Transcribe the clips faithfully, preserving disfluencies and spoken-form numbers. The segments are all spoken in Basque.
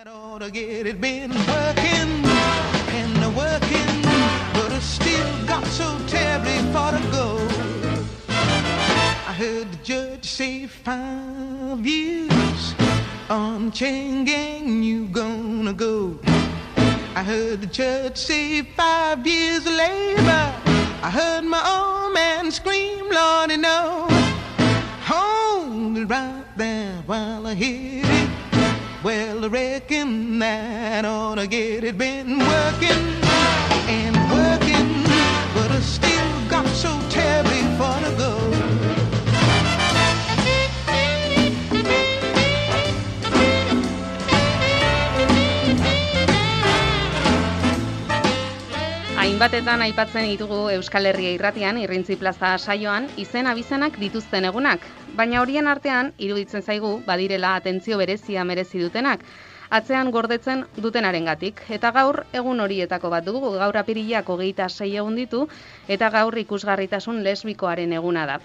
ought to get it been working and working, but I still got so terribly far to go. I heard the judge say five years on chain gang you gonna go. I heard the judge say five years of labor. I heard my old man scream, Lordy, no. Hold it right there while I hit it. Well, I reckon that ought to get it. Been working and working, but I still got so terribly far to go. Hainbatetan aipatzen ditugu Euskal Herria irratian, Irrintzi plaza saioan, izen abizenak dituzten egunak. Baina horien artean, iruditzen zaigu, badirela atentzio berezia merezi dutenak, atzean gordetzen dutenarengatik. Eta gaur, egun horietako bat dugu, gaur apirilak hogeita sei egun ditu, eta gaur ikusgarritasun lesbikoaren eguna da.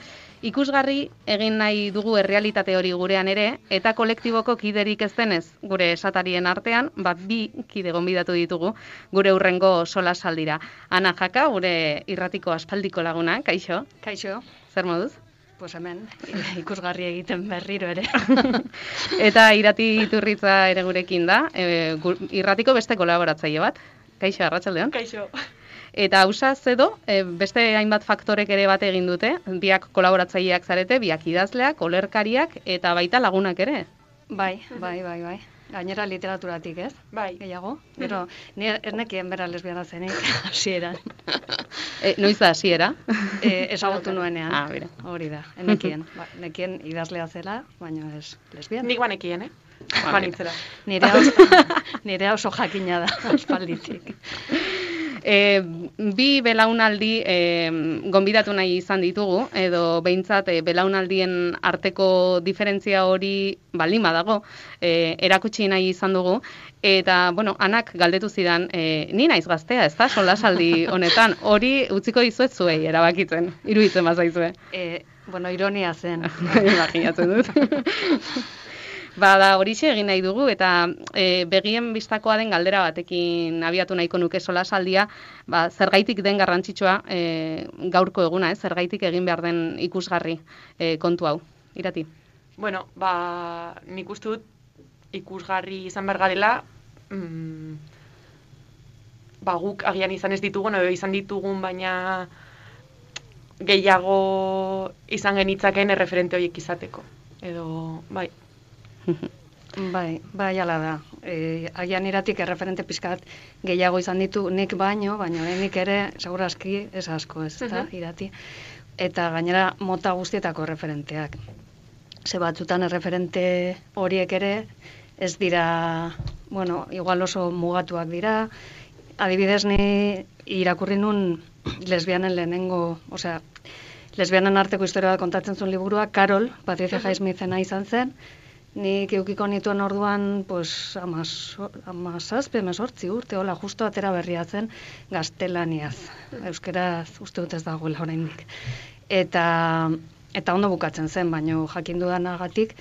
Ikusgarri egin nahi dugu errealitate hori gurean ere, eta kolektiboko kiderik ez denez, gure esatarien artean, bat bi kide gonbidatu ditugu, gure hurrengo solasaldira. Ana Jaka, gure irratiko aspaldiko laguna, kaixo? Kaixo. Zer moduz? Pues hemen, ikusgarri egiten berriro ere. Eta Irati Iturritza ere gurekin da, e, irratiko beste kolaboratzaile bat. Kaixo, arratsaldeon. Kaixo. Eta Ausaz edo, e, beste hainbat faktorek ere bat egin dute, biak kolaboratzaileak zarete, biak idazleak, olerkariak eta baita lagunak ere. Bai, bai, bai, bai. Gainera literaturatik, ez? Bai. Gehiago. Gero, ni ez nekien bera lesbiana zenik, hasieran. E, noiz da hasiera? E, ezagutu nuenean. Ah, bera. Hori da, enekien. Ba, nekien idazlea zela, baina ez lesbiana. Nik banekien, eh? Banitzera. Nire oso, nire oso jakina da, aspalditik. E, bi belaunaldi e, gonbidatu nahi izan ditugu, edo behintzat e, belaunaldien arteko diferentzia hori baldin badago, e, erakutsi nahi izan dugu, eta, bueno, Anak galdetu zidan, e, ni naiz gaztea, ez da, solasaldi honetan, hori utziko dizuet zuei erabakitzen, iruditzen bazaizue. E, bueno, ironia zen. Imaginatzen dut. Ba, da, horixe egin nahi dugu, eta e, begien bistakoa den galdera batekin abiatu nahiko nuke solasaldia, ba, zergaitik den garrantzitsua e, gaurko eguna, ez? Zergaitik egin behar den ikusgarri e, kontu hau. Irati? Bueno, ba, nik uste dut ikusgarri izan behar garela, mm, ba, guk agian izan ez ditugun, edo izan ditugun, baina gehiago izan genitzaken erreferente horiek izateko. Edo, bai. Bai, bai ala da. E, agian Iratik erreferente pizkat gehiago izan ditu nik baino, baina nik ere segurazki ez asko, ez da, Irati. Eta gainera mota guztietako referenteak. Ze batzutan erreferente horiek ere ez dira, bueno, igual oso mugatuak dira. Adibidez ni irakurri nun lesbianen lehenengo, osea, lesbianen arteko historia bat kontatzen zuen liburua, Carol, Patricia Highsmithena izan zen. Nik eukiko nituen orduan, pues, amazazpe, mesortzi urte, hola, justo atera berriatzen gaztelaniaz. Euskeraz uste dut ez dagoela oraindik. Eta, eta ondo bukatzen zen, baino jakin dudanagatik,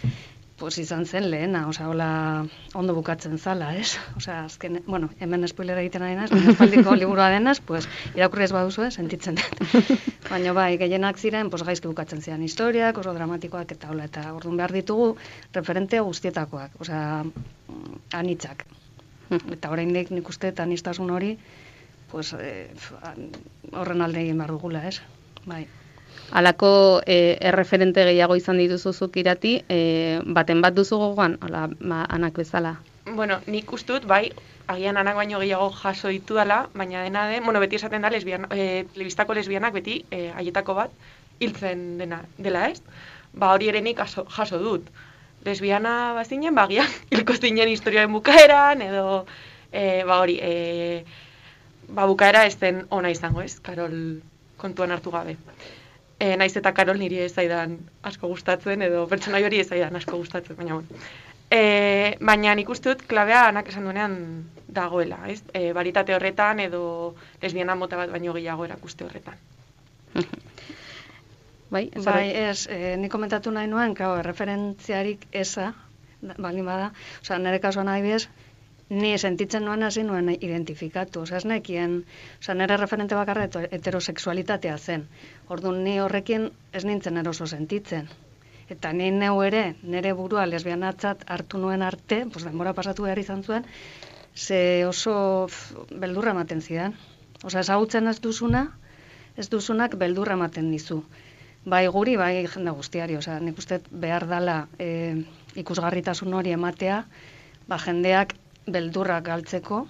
pues izan zen lehena, osea, hola, ondo bukatzen zala, ez? Osea, azken, bueno, hemen spoilera egiten ari naiz, baina espaldiko liburua denaz, pues, irakurri ez baduzu, sentitzen dut. Baina bai, gehienak ziren, pues, gaizki bukatzen ziren historiak, oso dramatikoak eta hola, eta orduan behar ditugu referente guztietakoak, osea, anitzak. Eta oraindik nik uste anistasun hori, pues, eh, horren alde egin behar dugula, ez? Bai. Halako e, erreferente gehiago izan dituzuzuk Irati, e, baten bat duzu gogoan, hola, ma, Anak bezala? Bueno, nik uste dut, bai, agian Anak baino gehiago jaso ditu dela, baina dena den, bueno, beti esaten da, lesbian, e, telebistako lesbianak beti, e, haietako bat, hiltzen dena, dela ez? Ba, hori ere nik jaso, jaso dut. Lesbiana bazinen, ba, agian, hilko zinen historiaren bukaeran, edo, e, ba, hori, e, ba, bukaera ez den ona izango ez, Karol kontuan hartu gabe. E, naiz eta Karol niri ez zaidan asko gustatzen, edo pertsonai hori ez zaidan asko gustatzen, baina bueno. E, baina nik uste dut klabea Anak esan duenean dagoela, ez? E, baritate horretan edo lesbiana mota bat baino gehiago erakuste horretan. Bai, bai ez, e, nik komentatu nahi nuen, claro, referentziarik eza, baldin bada, osea, nire kasuan adibidez, ni sentitzen nuen hasi nuen identifikatu, osea, ez nekien, osea, nire referente bakarra heterosexualitatea zen. Orduan ni horrekin ez nintzen eroso sentitzen. Eta ni neu ere, nire burua lesbianatzat hartu nuen arte, pues denbora pasatu behar izan zuen, ze oso beldurra ematen zidan. Osea, ezagutzen ez duzuna, ez duzunak beldurra ematen dizu. Bai guri, bai jende guztiari, osea, nik uste behar dala e, ikusgarritasun hori ematea, ba jendeak beldurrak galtzeko,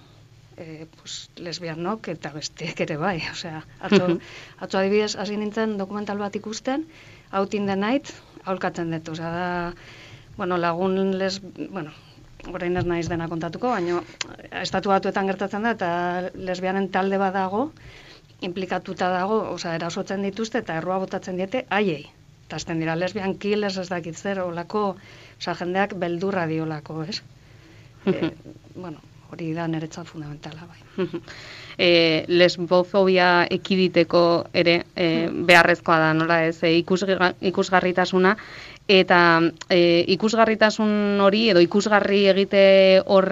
e, pues, lesbianok eta besteek ere bai, osea, atzo, atzo adibidez hasi nintzen dokumental bat ikusten, Out in the Night, aholkatzen dut, osea, da, bueno, lagun les, bueno, orain ez naiz dena kontatuko, baina estatu batuetan gertatzen da, eta lesbianen talde bat dago, implikatuta dago, osea, erasotzen dituzte eta errua botatzen diete haiei. Eta azten dira, lesbian killers ez dakit zer, olako, osea, jendeak beldurra diolako, ez? e, bueno, hori da niretzat fundamentala, bai. E, lesbofobia ekiditeko ere e, beharrezkoa da, nola ez, e, ikusga, ikusgarritasuna, eta e, ikusgarritasun hori edo ikusgarri egite, hor,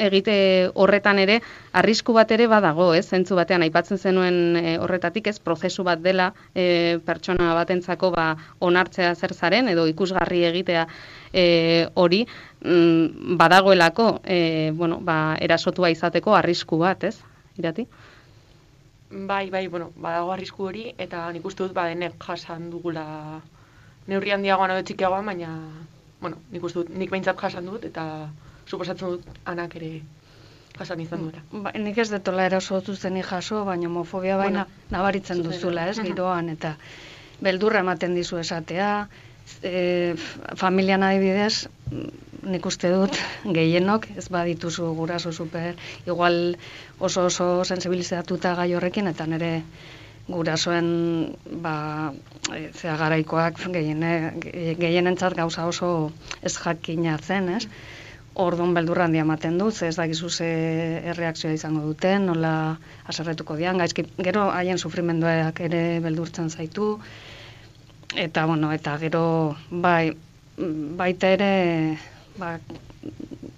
egite horretan ere arrisku bat ere badago, ez? Zentzu batean aipatzen zenuen e, horretatik, ez, prozesu bat dela e, pertsona batentzako ba onartzea zer zaren edo ikusgarri egitea e, hori mm, badagoelako e, bueno, ba, erasotua izateko arrisku bat, ez? Irati? Bai, bai, bueno, badago arrisku hori, eta nik uste dut badenek jasan dugula neurri handiagoan edo txikiagoan, baina, bueno, nik uste dut, nik behintzat jasan dut, eta suposatzen dut anak ere jasan izan duela. Ba, nik ez detola erasotu zenik jaso, baina homofobia baina bueno, nabaritzen duzula, ez, giroan, eta beldurra ematen dizu esatea, e, familian adibidez, nik uste dut gehienok, ez badituzu guraso super, igual oso oso sensibilizatuta gai horrekin, eta nire gurasoen ba, e, zea garaikoak gehiene, gehienentzat gauza oso ez jakina zen, ez? Orduan beldurra handia ematen du, ze ez dakizu ze erreakzioa izango duten, nola haserretuko dian, gaizki, gero haien sufrimenduak ere beldurtzen zaitu, eta bueno, eta gero bai, baita ere ba,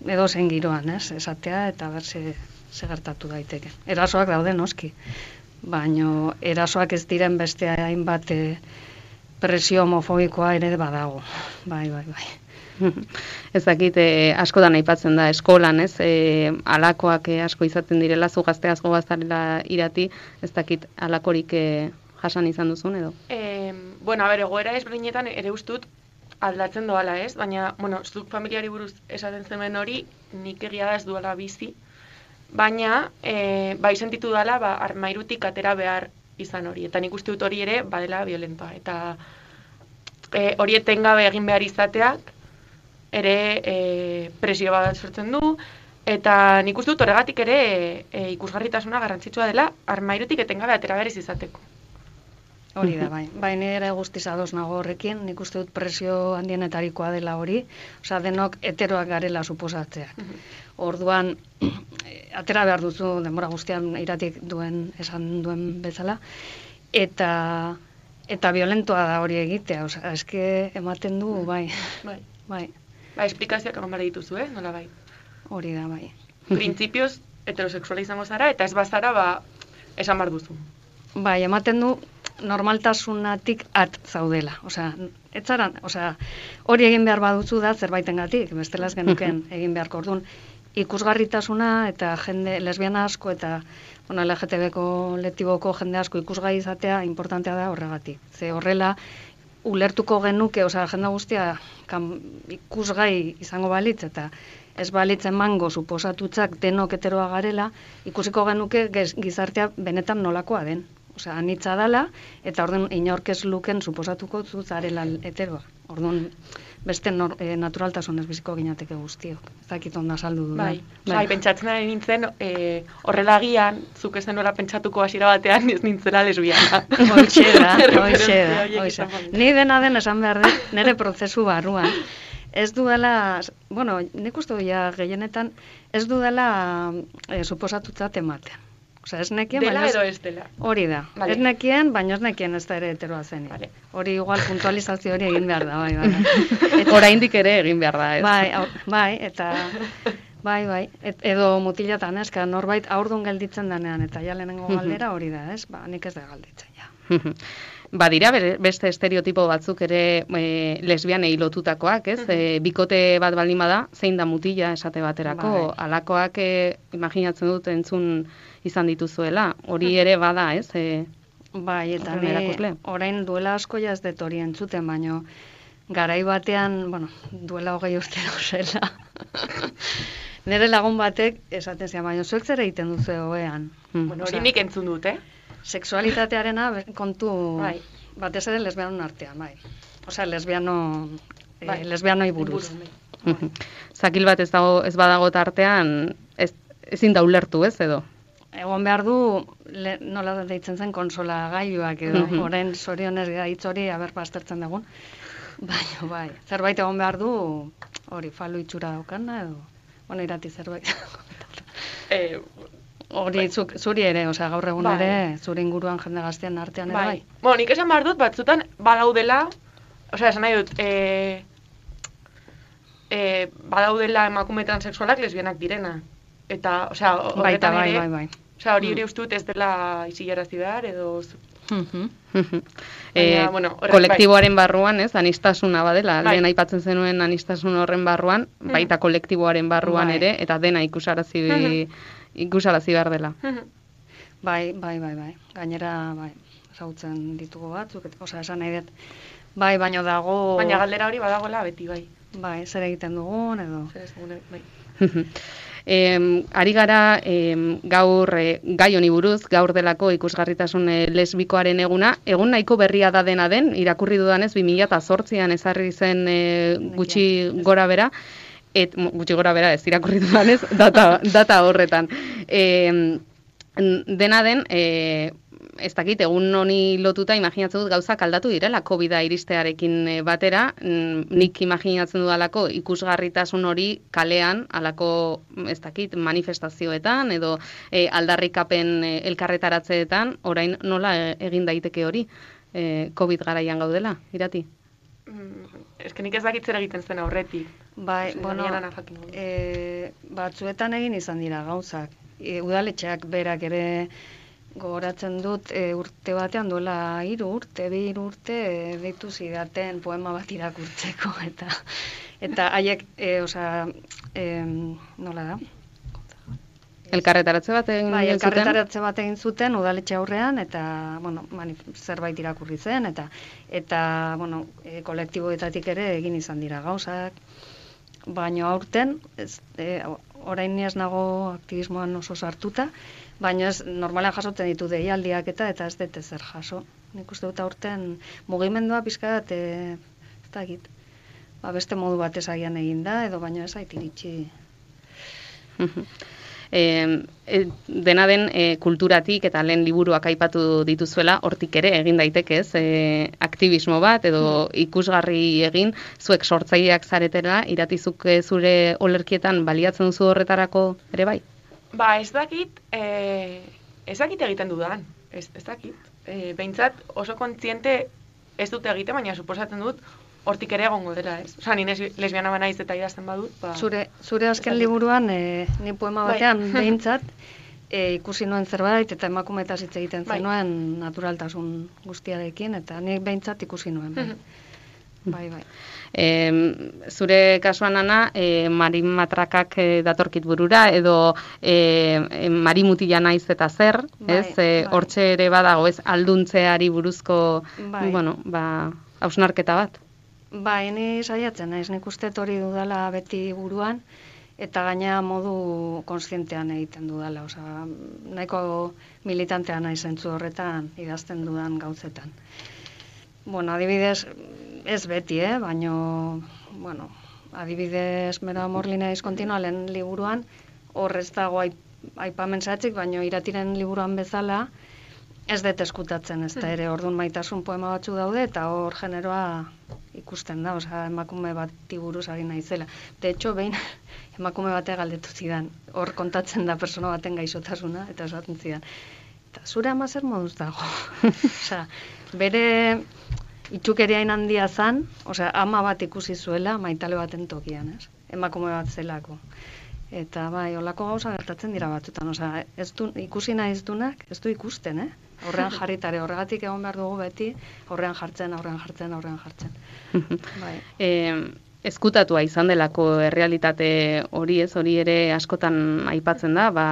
edo zen giroan, ez, esatea, eta ber ze, ze gertatu daiteke. Erasoak daude noski, baino erasoak ez diren beste hainbat e, presio homofobikoa ere badago. Bai, bai, bai. Ez dakit, eh, askotan aipatzen da eskolan, ez? Eh, alakoak eh, asko izaten direla, zu gazte asko bazarela Irati, ez dakit alakorik eh, jasan izan duzun edo? Eh, bueno, a ber, egoera ezberdinetan ere ustut aldatzen doala, ez? Baina, bueno, zuk familiari buruz esaten zemen hori, nik egia da ez duela bizi, baina, e, bai sentitu dela, ba, armairutik atera behar izan hori, eta nik uste dut hori ere badela violentoa, eta e, hori etengabe egin behar izateak, ere e, presio bat sortzen du, eta nik uste dut horregatik ere e, ikusgarritasuna garrantzitsua dela, armairutik etengabe atera behar izateko. Hori da, bai. Bai, nire guztiz ados nago horrekin, nik uste dut presio handienetarikoa dela hori, osea, denok heteroak garela suposatzeak. Orduan, atera behar duzu denbora guztian Iratik duen, esan duen bezala, eta eta violentoa da hori egitea, osea, eske ematen du, bai. Bai. Bai. Ba, esplikazioak egon behar dituzu, eh? Nola bai. Hori da, bai. Printzipioz heterosexuala izango zara, eta ez bazara, ba, esan behar duzu. Bai, ematen du normaltasunatik at zaudela. Osea, etzaran, osea, hori egin behar baduzu da zerbaitengatik, bestela ez genuken egin beharko. Orduan, ikusgarritasuna eta jende lesbiana asko eta bueno, L G T B kolektiboko jende asko ikusgai izatea importantea da horregatik. Ze horrela ulertuko genuke, osea, jende guztia kan, ikusgai izango balitz eta ez balitzen mango suposatutzak denok heteroa garela, ikusiko genuke gizartea benetan nolakoa den. Osea, anitza dala, eta orduan inorkez luken suposatuko zuzarela heteroa. Orduan, beste nor, e, naturaltasunez biziko ginateke guztiok. Ez dakit onda saldu du. Bai, bai. Bai, pentsatzen ari nintzen, e, horrela agian, zuk ez nola pentsatuko hasiera batean, ez nintzela lesbiana. Hoixe da, hoixe da, hoixe. Ni dena den esan behar dut, nire prozesu barruan. Ez dudala, bueno, nik uste ja gehienetan, ez dudala e, suposatutzat ematen. Osea, ez nekien, dela baina edo ez dela. Hori da. Vale. Ez nekien, baina ez nekien ez da ere heteroa zenik. Vale. Hori igual puntualizazio hori egin behar da, bai, bai. Eta oraindik ere egin behar da, ez? Bai, au, bai, eta Bai, bai, Et, edo mutilatan, ez, ka norbait aurdun gelditzen denean, eta ja lehenengo galdera hori da, ez, ba, nik ez da galditzen, ja. Badira beste estereotipo batzuk ere e, lesbianei lotutakoak, ez? E, bikote bat baldin bada, zein da mutila esate baterako, Bai. alakoak e, imaginatzen dut entzun izan dituzuela, hori ere bada, ez? E, Bai, eta horren ni erakusle. orain duela asko ja ez dut hori entzuten, baino garai batean, bueno, duela hogei urte zela. Nere lagun batek esaten zian, baino zuek zer egiten duzu egoean. Bueno, hori Osea, nik entzun dut, eh? Sexualitatearena be- kontu Bai. batez ere lesbianon artean, bai. Osea, lesbiano, eh, Bai. lesbianoi buruz. Bai. Zakil bat ez dago ez badago tartean, ez, ezin da ulertu, ez edo? Egon behar du, le, nola deitzen zen konsola gailuak edo, Mhm. orain zorionez gaitz hori aber pastertzen dugun. Baina, bai, zerbait egon behar du, hori, falu itxura daukana edo, bueno, irati zerbait. Eh, Hori, zuk, zuri ere, osea, gaur egun Bai. ere, zure inguruan jende gaztean artean ere bai. bai. Bueno, nik esan behar dut, batzutan badaudela, osea, esan nahi dut, eh, eh, badaudela emakumetan sexualak lesbianak direna. Eta, osea, Baita, horretan bai, ere, bai, bai. osea, hori ere uste dut ez dela isilarazi behar, edo... Mhm. e, Baina, bueno, horrek, kolektiboaren barruan, ez, anistasuna badela, Bai. lehen aipatzen zenuen anistasun horren barruan, baita kolektiboaren barruan Bai. ere, eta dena ikusarazi, Mhm. ikusarazi behar dela. Bai, bai, bai, bai. Gainera, bai, ezagutzen ditugu batzuk, et- osea, esan nahi dut. Bai, baino dago, Baina galdera hori badagoela beti, bai. bai, zer egiten dugun, edo. Zer ez dugun, bai. Em, ari gara em, gaur eh, gai honi buruz, gaur delako ikusgarritasun eh, lesbikoaren eguna, egun nahiko berria da dena den, irakurri dudanez bi mila zortzian ezarri zen eh, gutxi gora bera, et, mo, gutxi gora bera ez irakurri dudanez, data, data horretan. Em, dena den, e, ez dakit, egun honi lotuta imaginatzen dut gauzak aldatu direla covida iristearekin eh, batera, mm, nik imaginatzen dudalako ikusgarritasun hori kalean, alako, ez dakit, manifestazioetan edo eh, aldarrikapen eh, elkarretaratzeetan, orain nola eh, egin daiteke hori, eh, Covid garaian gaudela, irati? Mm, Ez que nik ez dakit zer egiten zen aurretik. Bai, Osea, bueno, agian ana jakin dugu. e, batzuetan egin izan dira gauzak. E, udaletxeak berak ere gogoratzen dut e, urte batean duela hiru urte, bi hiru urte e, deitu zidaten poema bat irakurtzeko eta eta haiek, e, osea, e, nola da? Elkarretaratze bat egin Bai, zuten? elkarretaratze bat egin zuten udaletxe aurrean eta bueno, manif- zerbait irakurri zen eta eta bueno, e, kolektiboetatik ere egin izan dira gauzak. Baino aurten, ez, e, orain ni ez nago aktivismoan oso sartuta, baina ez normalean jasotzen ditu deialdiak eta eta ez dut ezer jaso. Nik uste dut aurten mugimendua pixka bat, e, ez dakit, ba, beste modu batez agian egin da, edo baina ez ait iritsi. E, e, dena den e, kulturatik eta lehen liburuak aipatu dituzuela, hortik ere egin daiteke, ez? E, aktivismo bat edo ikusgarri egin, zuek sortzaileak zaretela, iratizuk e, zure olerkietan baliatzen duzu horretarako ere bai? Ba, ez dakit, eh, ez dakit egiten dudan, ez, ez dakit. Eh, behintzat oso kontziente ez dute egite, baina suposatzen dut hortik ere egongo dela, ez? Osa, ni nes- lesbiana banaiz eta idazten badut, ba... Zure, zure azken dakit. liburuan, e, ni poema Bai. batean behintzat, e, ikusi nuen zerbait eta emakumeetaz hitz egiten Bai. zenuen naturaltasun guztiarekin, eta nik behintzat ikusi nuen. Bai, bai. bai. E, zure kasuan, Ana, e, marin matrakak e, datorkit burura, edo e, e, marimutila naiz eta zer, Bai, ez? E, bai. Hortxe ere badago, ez? Alduntzeari buruzko, Bai. bueno, ba, hausnarketa bat. Bai, ni saiatzen naiz, nik uste hori dudala beti buruan, eta gaina modu kontzientean egiten dudala, osea, nahiko militantea naiz zentzu horretan idazten dudan gauzetan. Bueno, adibidez, ez beti, eh? Baino, bueno, adibidez, Mero Amorlina diskontinualen liburuan, hor ez dago aip, aipamen zehatzik, baino iratiren liburuan bezala, ez dut eskutatzen, ez da ere, orduan maitasun poema batzu daude, eta hor generoa ikusten da, osea, emakume bati buruz ari naizela. De hecho, behin emakume bate galdetu zidan, hor kontatzen da persona baten gaixotasuna, eta esaten zidan, eta zure ama zer moduz dago? Osea, bere itxukeria hain handia zan, osea, ama bat ikusi zuela maitale baten tokian, ez? Emakume bat zelako. Eta bai, olako gauza gertatzen dira batzutan, osea, ez du, ikusi nahiz dunak, ez du ikusten, eh? Horrean jarritare, horregatik egon behar dugu beti, horrean jartzen, horrean jartzen, horrean jartzen. Bai. E, ezkutatua izan delako errealitate hori ez, hori ere askotan aipatzen da, ba,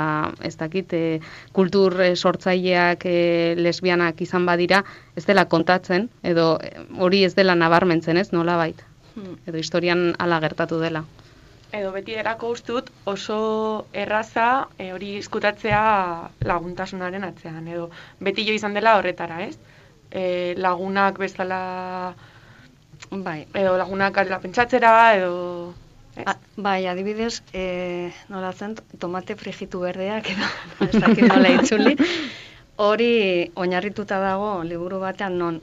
ez dakit, e, kultur sortzaileak e, lesbianak izan badira, ez dela kontatzen, edo hori ez dela nabarmentzen ez, nola bait? Edo historian hala gertatu dela. Edo beti erako ustut oso erraza e, hori izkutatzea laguntasunaren atzean. Edo beti jo izan dela horretara, ez? E, lagunak bezala, bai. Edo lagunak dela pentsatzera, edo... A, bai, adibidez, e, nola zen, tomate frijitu berdeak, edo ez dakit nola itzuli. Hori oinarrituta dago liburu batean non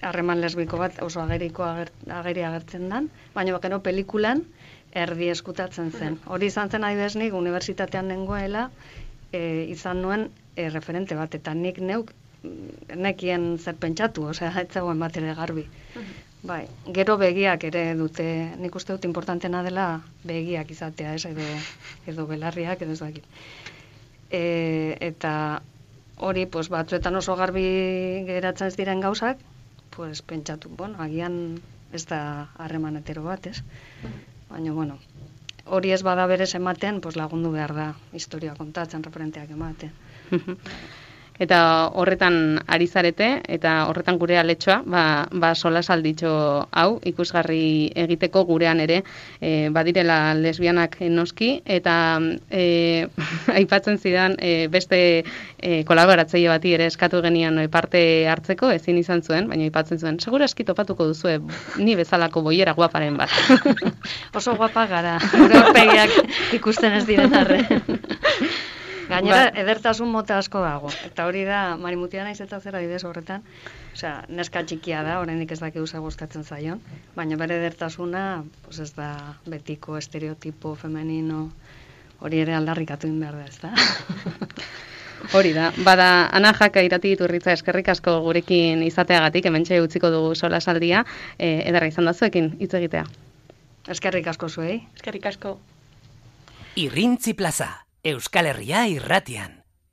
harreman lesbiko bat oso ageriko ager, ageri agertzen dan, baina gero pelikulan erdi eskutatzen zen. Hori izan zen adibidez nik unibertsitatean nengoela e, izan nuen e, referente bat, eta nik neuk nekien zer pentsatu, osea, ez zegoen bat ere garbi. Bai, gero begiak ere dute, nik uste dut importantena dela begiak izatea, ez, edo, edo belarriak, edo ez dakit. E, eta hori, pues, batzuetan oso garbi geratzen ez diren gauzak, pues, pentsatu, bueno, agian ez da harreman hetero bat, ez? Baina, bueno, hori ez bada berez ematen, pues, lagundu behar da historia kontatzen, referenteak ematen. Eta horretan ari zarete, eta horretan gure aletxoa, ba, ba solasalditxo hau, ikusgarri egiteko gurean ere, e, badirela lesbianak noski, eta e, aipatzen zidan e, beste e, kolaboratzaile bati ere eskatu genian e, parte hartzeko, ezin izan zuen, baina aipatzen zuen, segura eski topatuko duzue ni bezalako boiera guaparen bat. Oso guapa gara, gure aurpegiak ikusten ez diren arre. Gainera, ba, edertasun mota asko dago. Eta hori da, Marimutia naiz eta zera didez horretan, osea, neska txikia da, oraindik ez dakigu zer gustatzen zaion, baina bere edertasuna, pues ez da betiko estereotipo femenino, hori ere aldarrikatu egin behar da, ez da? Hori da, bada, Ana Jaka Irati Iturritza eskerrik asko gurekin izateagatik, hementxe utziko dugu solasaldia, e, ederra izan da zuekin hitz egitea. Eskerrik asko zuei. Eskerrik asko. Irrintzi Plaza, Euskal Herria irratian.